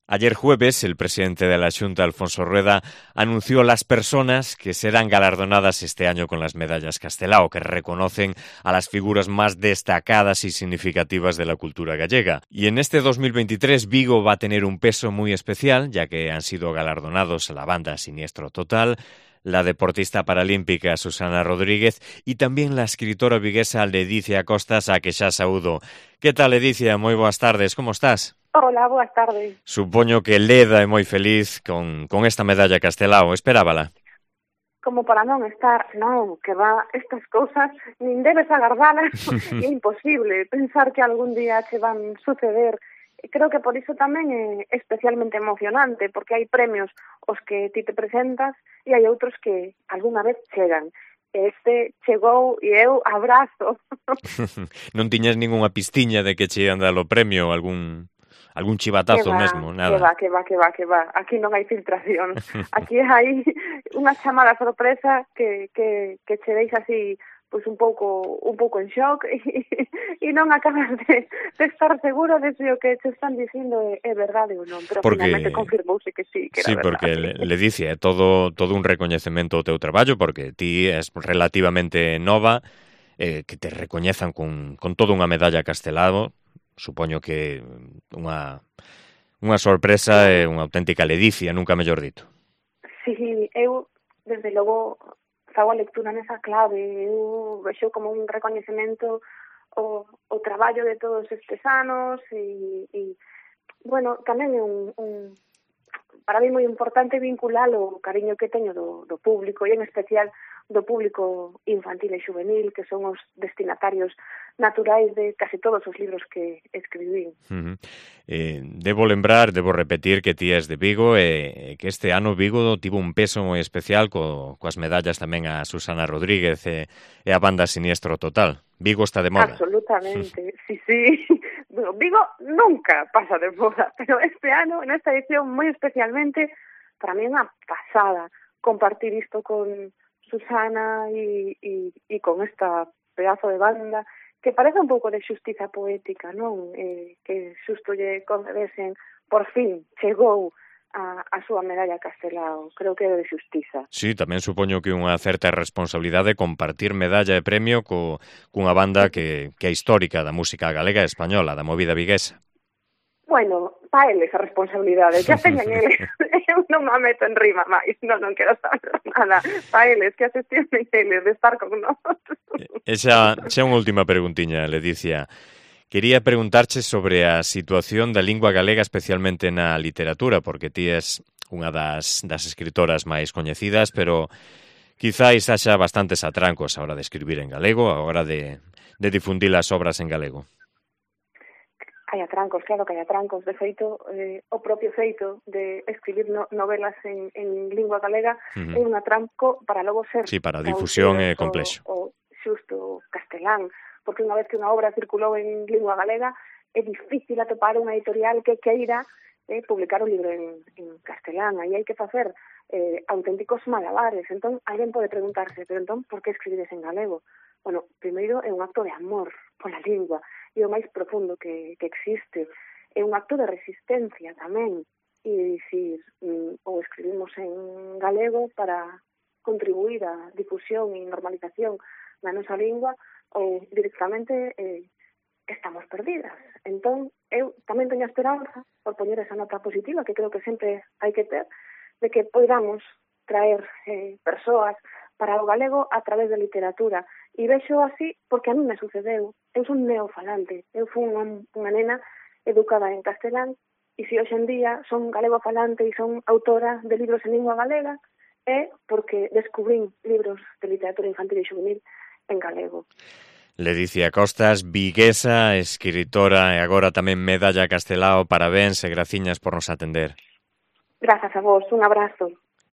Ayer jueves, el presidente de la Xunta, Alfonso Rueda, anunció las personas que serán galardonadas este año con las medallas Castelao, que reconocen a las figuras más destacadas y significativas de la cultura gallega. Y en este 2023 Vigo va a tener un peso muy especial, ya que han sido galardonados la banda Siniestro Total, la deportista paralímpica Susana Rodríguez y también la escritora viguesa Ledicia Costas, a que xa saúdo. Que tal, Ledicia? Moi boas tardes, como estás? Hola, boas tardes. Supoño que Leda é moi feliz con esta medalla Castelao, esperábala. Como para non estar, non, que va, estas cousas, nin debes agardalas, é imposible pensar que algún día che van suceder. Creo que por iso tamén é especialmente emocionante, porque hai premios os que ti te presentas e hai outros que algunha vez chegan. Este chegou e eu abrazo. Non tiñas ningunha pistiña de que che ian dar o premio, algún chivatazo mesmo, nada. Que va. Aquí non hai filtración. Aquí hai unha chamada sorpresa que che deixa así pois un pouco en shock e non acabas de estar seguro de se o que te están dicindo é verdade ou non, pero finalmente confirmouse que sí, que era verdade. Sí, porque le dice, é todo un recoñecemento ao teu traballo, porque ti és relativamente nova, que te recoñezan con toda unha medalla Castelao. Supoño que unha sorpresa e unha auténtica ledicia, nunca mellor dito. Sí, eu, desde logo, fago a lectura nesa clave. Eu vexo como un recoñecemento o traballo de todos estes anos e bueno, tamén é un para mí moi importante vincular o cariño que teño do público e en especial do público infantil e juvenil, que son os destinatarios naturais de casi todos os libros que escribín. Debo repetir que ti és de Vigo e que este ano Vigo tivo un peso moi especial coas medallas tamén a Susana Rodríguez e a banda Siniestro Total. Vigo está de moda. Absolutamente, sí. Vigo nunca pasa de moda, pero este ano, en esta edición moi especialmente, para mí é unha pasada compartir isto con Susana e con esta pedazo de banda que parece un pouco de xustiza poética, non? Que xusto lle concedesen, por fin, chegou a súa medalla Castelao. Creo que é de xustiza. Sí, tamén supoño que unha certa responsabilidade compartir medalla e premio cunha banda que é histórica da música galega e española, da movida viguesa. Bueno, pa eles a responsabilidade, que a teñan eles. Eu non me meto en rima máis, non quero saber nada. Pa eles, que a xestionen eles de estar con nós. Xa unha última preguntiña, Ledicia. Quería preguntarche sobre a situación da lingua galega, especialmente na literatura, porque ti és unha das escritoras máis coñecidas, pero quizáis haxa bastantes atrancos a hora de escribir en galego, a hora de difundir as obras en galego. Hai atrancos, claro que hai atrancos. De feito, o propio feito de escribir novelas en lingua galega é un atranco para logo ser... Sí, para a difusión é complexo. O xusto castelán, porque unha vez que unha obra circulou en lingua galega é difícil atopar unha editorial que queira publicar un libro en castelán. Aí hai que facer auténticos malabares. Entón, alguén pode preguntarse, pero entón, por que escribires en galego? Bueno, primeiro é un acto de amor pola lingua, e o máis profundo que existe. É un acto de resistencia tamén, e dicir, ou escribimos en galego para contribuir á difusión e normalización da nosa lingua, ou directamente estamos perdidas. Entón, eu tamén teño esperanza, por poñer esa nota positiva, que creo que sempre hai que ter, de que podamos traer persoas para o galego a través da literatura. E vexo así porque a mí me sucedeu. Eu son neofalante. Eu fui unha nena educada en castelán e se hoxe en día son galego falante e son autora de libros en lingua galega é porque descubrín libros de literatura infantil e juvenil en galego. Ledicia Costas, viguesa, escritora e agora tamén medalla Castelao. Parabéns e graciñas por nos atender. Grazas a vos, un abrazo.